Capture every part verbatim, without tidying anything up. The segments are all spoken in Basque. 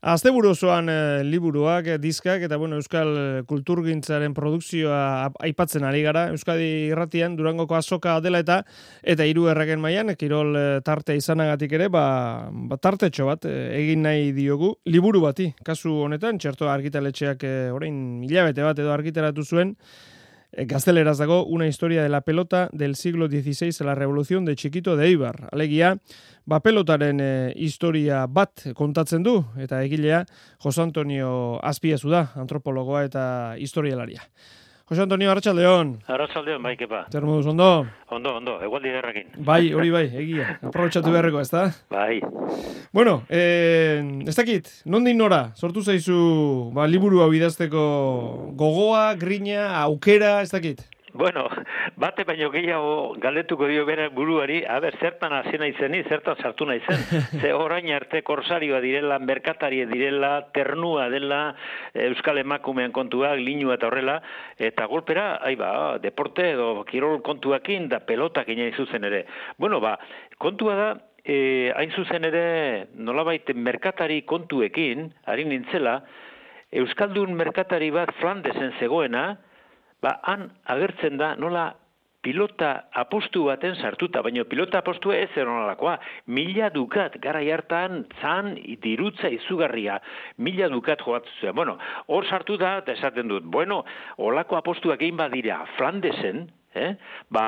Asteburu osoan e, liburuak, e, diskak eta bueno, euskal kulturgintzaren produkzioa aipatzen ari gara. Euskadi Irratian Durangoko azoka dela eta eta hiru erregen mailan kirol e, tarte izanagatik ere, ba, ba tartetxo bat e, egin nahi diogu liburu bati. Kasu honetan Txertoa argitaletxeak e, orain hilabete bat edo argitaratu zuen. Gazteleraz dago Una historia de la pelota del siglo dieciséis a la revolución de Chiquito de Eibar. Alegia, ba pelotaren e, historia bat kontatzen du, eta egilea Jose Antonio Azpiazu da, antropologoa eta historialaria. Jose Antonio, arratsaldeon. Arratsaldeon, bai, kepa. Zer moduz, ondo? Ondo, ondo, egualdi derrakin. Bai, hori bai, egia. Aprobetxatu beharreko, ez da? Bai. Bueno, eh, ez dakit, nondik nora, sortu zaizu ba, liburu hau idazteko gogoa, grina, aukera, ez dakit? Bueno, bate baino gehiago galdetuko dio bere buruari, a ber, zertan hasi naizeni, zertan sartu naizen. Ze orain arte korsarioa direla, merkatarie direla, ternua dela, euskal emakumean kontuak, linua eta horrela, eta golpera, ai ba, deporte edo kirol kontuakin da pelotak ina zuzen ere. Bueno, ba, kontua da, eh, hain zuzen ere, nolabait merkatari kontuekin, ari nintzela, euskaldun merkatari bat Flandesen zegoena, ba, han agertzen da nola pilota apostu baten sartuta, baina pilota apostua ez eronalakoa. Mila dukat, garai hartan, zan dirutza izugarria. Mila dukat joatzen zuen. Bueno, hor sartu da, eta esaten dut, bueno, olako apostuak egin badira Flandesen, eh? Ba,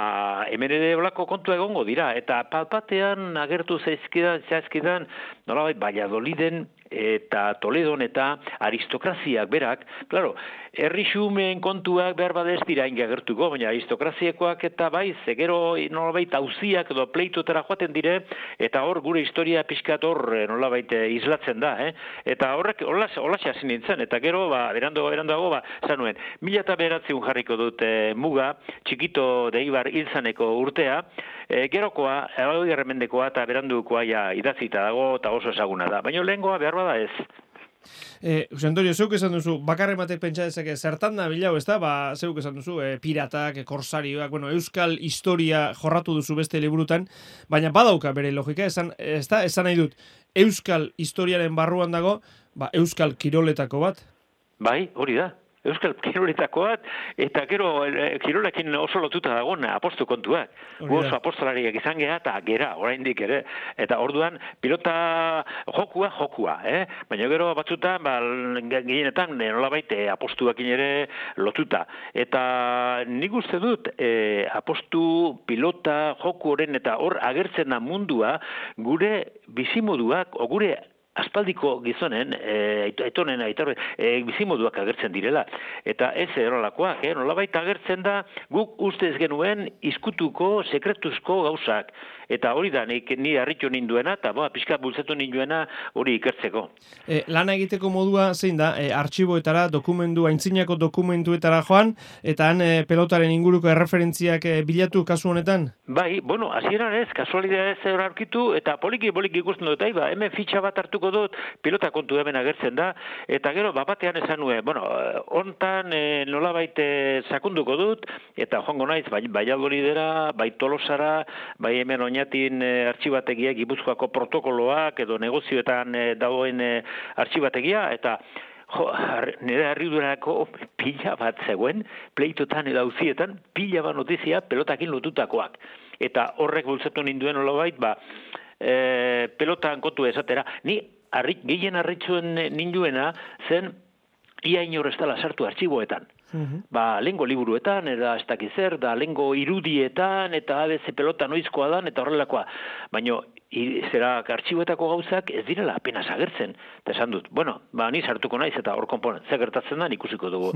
hemen ere olako kontua egongo dira, eta palpatean agertu zaizkidan, zaizkidan, nolabait, Valladoliden eta Toledon eta aristokraziak berak, claro, herri xumeen kontuak behar badez dira agertuko, baina aristokraziekoak eta bai, zegero nolabait auziak edo pleitotera joaten dire, eta hor gure historia pixkat hor nolabait islatzen da, eh? Eta horrek holaxe hasi nintzen, eta gero, ba, berando, berandoago, ba, zanuen, mila eta beratziun jarriko dut e, muga, Txikito de Eibar hilzaneko urtea, e, gerokoa, hori erremendekoa eta berandukoa ja idazita dago, eta oso ezaguna da, baina lehengoa behar bada ez. Eh, Jose Antonio, zeuk esan duzu, bakarren batek pentsa dezake, zertan da bilau, ez da? Ba, zeuk esan duzu, eh, piratak, korsarioak, bueno, euskal historia jorratu duzu beste liburutan, baina badauka bere logika, esan, ez da, esan nahi dut, euskal historiaren barruan dago, ba, euskal kiroletako bat? Bai, hori da. Euskal kiroletako bat, eta gero e, kirolekin oso lotuta dagoen apostu kontuak. Gu oso apostolariak izan geha eta gera, oraindik ere. Eta orduan, pilota jokua, jokua, eh? Baina gero batzutan, ba, gehienetan, nolabait apostuakin ere lotuta. Eta nik uste dut, e, apostu, pilota, joku horren, eta hor agertzen da mundua, gure bizimoduak, o gure aspaldiko gizonen, e, aitonen, aitorre, e, bizimoduak agertzen direla. Eta ez erolakoak, eh? Nolabait agertzen da, guk ustez genuen izkutuko, sekretuzko gauzak. Eta hori da, nik, ni harritu ninduena, eta boa, pixka bultzatu ninduena hori ikertzeko. E, lana egiteko modua zein da, e, artxiboetara, dokumentu, aintzinako dokumentuetara joan, eta han e, pelotaren inguruko erreferentziak e, bilatu kasu honetan? Bai, bueno, hasieran ez, kasualidad ez aurkitu, eta poliki-poliki ikusten dut, ba, hemen fitxa bat hartuko dut, pilota kontu hemen agertzen da, eta gero, bapatean esan nuen, bueno, hontan e, nolabait e, sakunduko dut, eta joango naiz, bai, Valladolidera, bai Tolosara, bai hemen oinatin e, artxibategia, Gipuzkoako protokoloak, edo negozioetan e, dagoen e, artxibategia, eta jo, nire harridurako pila bat zegoen, pleitotan edo auzietan, pila bat notizia pelotakin lotutakoak. Eta horrek bultzatu ninduen olabait, ba, e, pelotan kontu esatera. Ni arri, gehien harritzuen ninduena zen ia inor ez dela sartu artxiboetan. Uhum. Ba, lengo liburuetan, eta ez dakizer, da lengo irudietan, eta A B C pelota noizkoa dan, eta horrelakoa. Baina, zera, artxiboetako gauzak ez direla apenas agertzen. Eta esan dut, bueno, ba, ni sartuko naiz, eta hor konponen, ze gertatzen da, ikusiko dugu.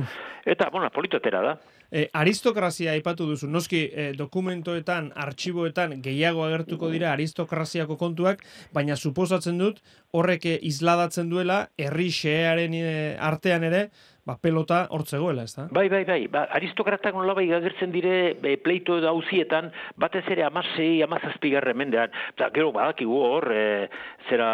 Eta, bueno, politotera da. E, aristokrazia aipatu duzu, noski e, dokumentoetan, artxiboetan gehiago agertuko dira aristokraziako kontuak, baina suposatzen dut horrek isladatzen duela herri xehearen e, artean ere, ba, pelota hortzegoela, ez da? Bai, bai, bai, ba, aristokratak nolabai agertzen dire e, pleito edo hauzietan, batez ere amasei, amazazpigarren mendean, eta gero badakigu hor, e, zera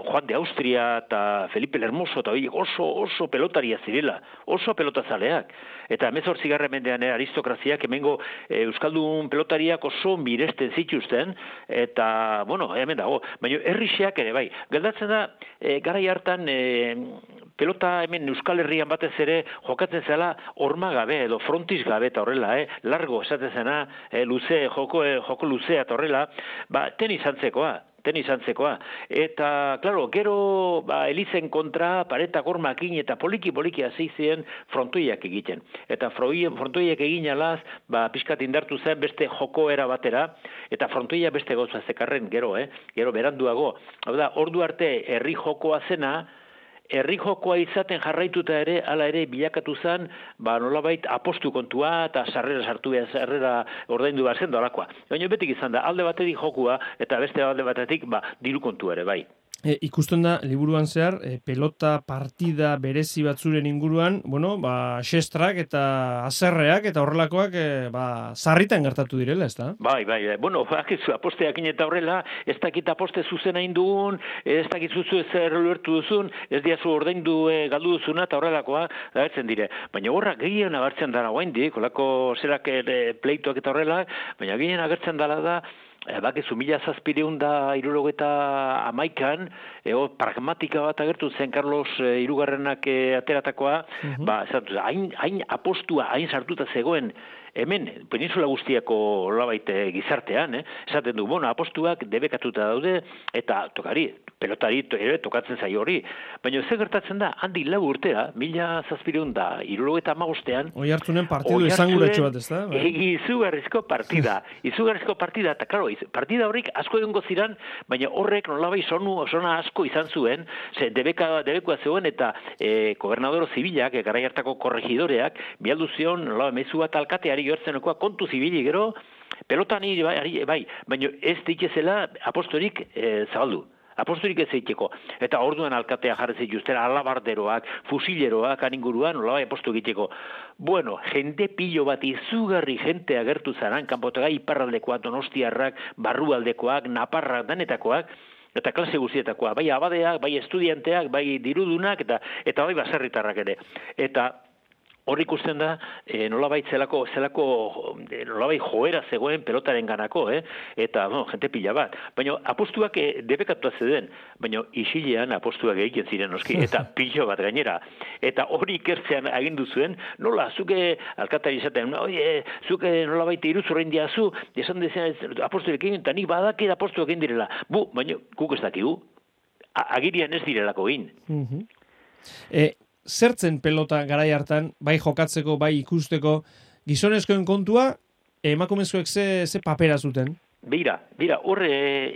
Juan de Austria eta Felipe el Hermoso, eta oso, oso pelotaria zirela, oso pelotazaleak. Eta hemezortzigarren mendean e, aristokraziak hemengo e, euskaldun pelotariak oso miresten zituzten, eta, bueno, hemen dago, baina herrixeak ere, bai, galdatzen da, e, garai hartan, e, pelota hemen Euskal Herrian batez ere jokatzen zela horma gabe edo frontis gabe eta horrela, eh? Largo esaten zena, eh, luze, joko, eh, joko luzea eta horrela, ba, tenis antzekoa, tenis antzekoa. Eta, klaro, gero ba, elizen kontra paretak hormakin eta poliki-poliki hasi ziren frontoiak egiten. Eta frontoiak egin alaz, ba, pixkat indartu zen beste jokoera batera, eta frontoia beste gauza zekarren gero, eh? Gero beranduago. Hau da, ordu arte herri jokoa zena, herri jokoa izaten jarraituta ere, hala ere bilakatu zen, ba nolabait apostu kontua eta sarrera sartu behar, sarrera ordaindu behar zen dolakoa. Baina betik izan da, alde batetik jokua eta beste alde batetik ba, diru kontua ere, bai. E, ikusten da, liburuan zehar, e, pelota partida berezi batzuren inguruan, bueno, ba, xestrak eta azerreak eta horrelakoak, e, ba, sarritan gertatu direla, ez da? Bai, bai, bai. Bueno, bakizu, aposteakin eta horrela, ez dakit aposte zuzen hain dugun, ez dakit zuzu ezer ulertu duzun, ez diazu ordaindu e, galdu duzuna eta horrelakoa, agertzen dire. Baina horra gehien agertzen dara guaindik, olako zerak e, pleitoak eta horrela, baina gehien agertzen dara da, E, bakizu, mila zazpireun da irurogeta amaikan, e, o, pragmatika bat agertu zen Carlos e, irugarrenak e, ateratakoa, uh-huh. ba, esatu, hain, hain apostua, hain sartuta zegoen, hemen, peninsula guztiako olabait gizartean, eh? Esaten du, bueno, apostuak debekatuta daude, eta tokari, pelotari ere tokatzen zaio hori. Baina ze gertatzen da, handi lau urtera, mila zazpireun da, irurogeta amagostean, Oi hartzunen partidu esanguratxo bat, ez da? Bai? Izugarrizko partida, izugarrizko partida, eta karo, partida horrik asko egongo ziren, baina horrek nolabai sonu, sona asko izan zuen, ze debeka, debekoa zegoen, eta e, gobernadoro zibilak, e, garai hartako korregidoreak, bialdu zion, nolabai mezu bat alkateari gertzenekoa kontu zibili gero, pelotani bai, bai, baina ez ditezela apostorik e, zabaldu. Apostorik ez eiteko. Eta orduan alkatea jarri zituzten alabarderoak, fusileroak, aninguruan, nolabai aposto egiteko. Bueno, jende pilo bat izugarri jente agertu zaran, kanpotaga iparraldekoak, donostiarrak, barrualdekoak, naparrak, danetakoak, eta klase guztietakoa, bai abadeak, bai estudianteak, bai dirudunak, eta eta bai baserritarrak ere. Eta hor ikusten da, e, nolabait zelako, zelako e, nolabait joera zegoen pelotaren ganako, eh? Eta, no, jente pila bat. Baina apostuak e, debekatu zeuden, baina isilean apostuak egiten ziren noski, eta pilo bat gainera. Eta hori ikertzean agindu zuen, nola, zuke alkatari izaten, oie, zuke nolabait iruzurrein diazu, esan dezen apostuak egin, eta nik badaki apostuak egin direla. Bu, baina guk ez dakigu, agirian ez direlako egin. Uh-huh. E, Zertzen pelota garai hartan, bai jokatzeko, bai ikusteko, gizonezkoen kontua, emakumezkoek ze, ze papera zuten? Beira, beira, horre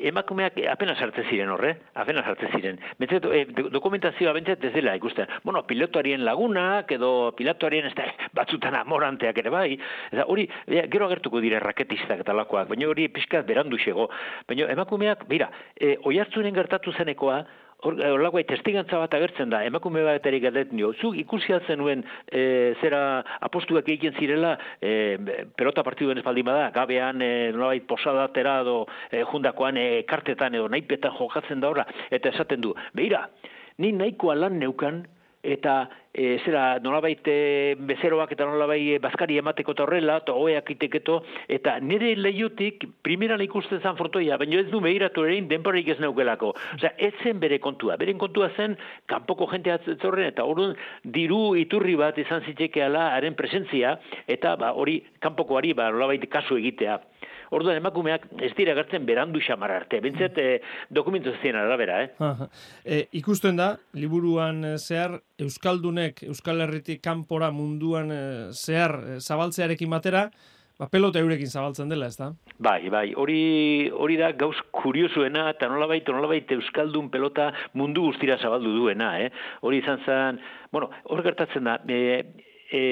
emakumeak apenas hartzen ziren horre, apenas hartzen ziren. Bentzat, e, dokumentazioa bentzat ez dela ikusten. Bueno, pilotuarien lagunak, edo pilotuarien ez da, batzutan amoranteak ere bai, eta hori, gero agertuko dire raketistak eta lakoak, baina hori pixkat berandu xego. Baina emakumeak, beira, e, oihartzunen gertatu zenekoa, Horlakoa, testigantza bat agertzen da, emakume bat erik galdetzen dio, zuk ikusi altzen nuen e, zera apostuak egiten zirela, e, pelota partiduen ez baldin bada, gabean e, nolabait posadatera edo e, jundakoan e, kartetan edo naipetan jokatzen da horra, eta esaten du, beira, ni nahikoa lan neukan, eta e, zera nolabait e, bezeroak eta nolabait e, bazkari emateko eta horrela, eta hoeak iteketo, eta nire lehiotik primeran ikusten zan frontoia, baina ez du behiratu erein denporik ez neukelako. Osea, ez zen bere kontua. Beren kontua zen, kanpoko jente atzorren, eta orduan diru iturri bat izan zitekeala haren presentzia, eta ba, hori kanpokoari ba, nolabait kasu egitea. Orduan emakumeak ez dira gertzen berandu xamar arte. Bentzet e, dokumentu zizien arabera, eh? E, ikusten da, liburuan zehar, Euskaldunek, Euskal Herritik kanpora munduan zehar zabaltzearekin batera, ba, pelota eurekin zabaltzen dela, ez da? Bai, bai, hori, hori da gauz kuriosuena, eta nolabait, nolabait Euskaldun pelota mundu guztira zabaldu duena, eh? Hori izan zen, bueno, hor gertatzen da, e, e,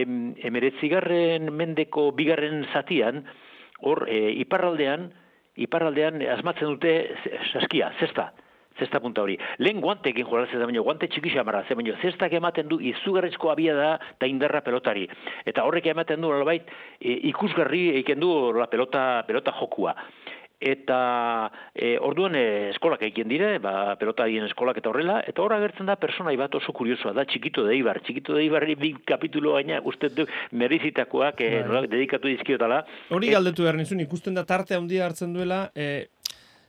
emeretzigarren mendeko bigarren zatian, hor, e, iparraldean, iparraldean asmatzen dute saskia, zesta. zesta punta hori. Lehen guantekin jolatzen da, baina guante txiki xamarra, ze baina zestak ematen du izugarrizko abia da eta indarra pelotari. Eta horrek ematen du, nolabait, e, ikusgarri egiten du la pelota, pelota jokua. Eta e, orduan e, eskolak egiten dire, ba, pelotarien eskolak eta horrela, eta horra agertzen da personai bat oso kuriosoa da, Txikito de Eibar. Txikito de Eibarri bi kapitulo gaina, uste du, merizitakoak e, nolak, dedikatu dizkiotala. Hori galdetu behar nizun, ikusten da tarte handia hartzen duela, e,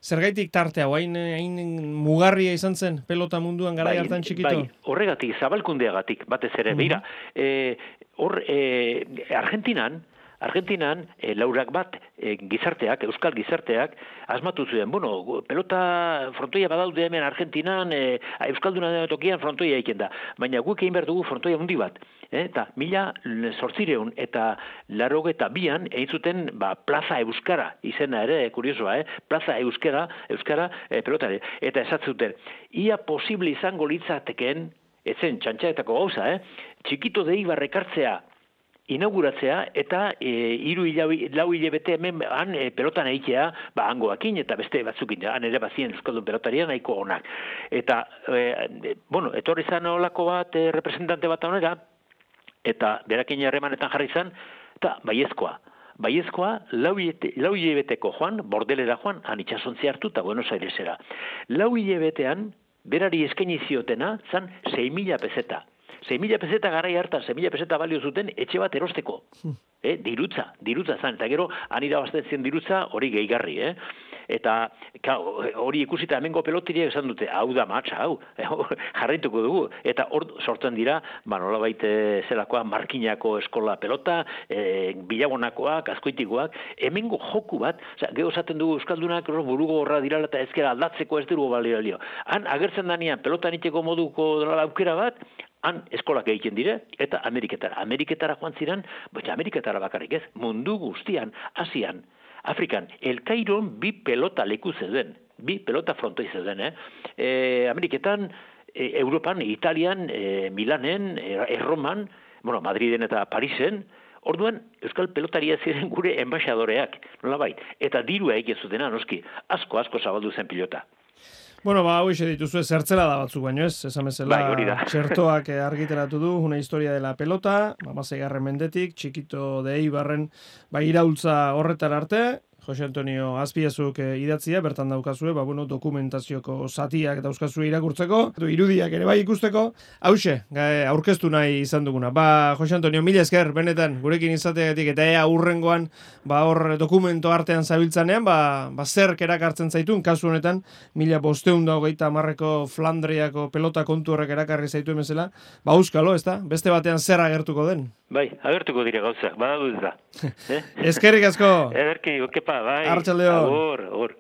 zergaitik tartea, hain, hain mugarria izan zen pelota munduan garai hartan Txikito? Bai, horregatik, zabalkundeagatik, batez ere, mm-hmm. Beira, e, hor, e, Argentinan, Argentinan, e, laurak bat e, gizarteak, euskal gizarteak, asmatu zuen, bueno, pelota frontoia badaude hemen Argentinan, e, euskalduna tokian frontoia egiten da, baina guk egin behar dugu frontoia hundi bat, e, eta mila sortzireun eta larogeta bian egin zuten ba, Plaza Euskara, izena ere, kuriosoa, eh? Plaza Euskara, Euskara e, pelotare, eta esatzuten, ia posible izango litzateken, ezen txantxaetako gauza, eh? Txikito de Eibar ekartzea, inauguratzea eta e, iru lau hilabete hemen han e, pelotan egitea, ba, hangoakin eta beste batzukin, han ere bazien euskaldun pelotaria nahiko onak. Eta, e, bueno, etorri zan olako bat e, representante bat honera, eta berakin harremanetan jarri zan, eta baiezkoa. Baiezkoa, lau hilabeteko joan, bordelera joan, han itxasontzi hartu eta Buenos Airesera. Lau hilabetean, berari eskaini ziotena, zan sei mila peseta. sei mila peseta garai hartan, sei mila peseta balio zuten etxe bat erosteko. Eh, dirutza, dirutza zan, eta gero, anira bazten dirutza hori gehigarri, eh? Eta hori ikusita hemengo pelotiriak esan dute, hau da matxa, hau, jarraituko dugu. Eta hor sortzen dira, ba, nolabait zelakoa, Markinako eskola pelota, e, Bilabonakoak, Azkoitikoak, hemengo joku bat, oza, geho esaten dugu euskaldunak burugo horra dirala eta ezkera aldatzeko ez dugu balio. Han agertzen danean pelotan iteko moduko aukera bat, han eskolak egiten dire, eta Ameriketara. Ameriketara joan ziren, baina Ameriketara bakarrik ez, mundu guztian, Asian, Afrikan, El Cairon bi pelota leku zeuden, bi pelota frontoi zeuden, eh? E, Ameriketan, e, Europan, Italian, e, Milanen, e, Erroman, bueno, Madriden eta Parisen, orduan, euskal pelotaria ziren gure enbaixadoreak, nolabait, eta dirua egin zutena, noski, asko, asko zabaldu zen pilota. Bueno, ba, hau ise dituzue zertzela da batzuk baino ez, esan bezala bai, txertoak argitaratu du, una historia de la pelota, hamaseigarren mendetik, Txikito de Eibarren, ba, iraultza horretar arte, Jose Antonio Azpiazuk eh, idatzia, bertan daukazue, ba, bueno, dokumentazioko zatiak dauzkazue irakurtzeko, irudiak ere bai ikusteko, hause, aurkeztu nahi izan duguna. Ba, Jose Antonio, mila esker, benetan, gurekin izateagatik, eta ea urrengoan, ba, hor dokumento artean zabiltzanean, ba, ba zerk erakartzen zaituen, kasu honetan, mila bosteun da hogeita marreko Flandriako pelota kontu horrek erakarri zaituen bezala, ba, euskalo, ez da? Beste batean zer agertuko den? Bai, agertuko dire gauzak, badadu ez da. Eskerrik asko! Ederki, okepa, bai. Arratsaldeon. Agur, agur.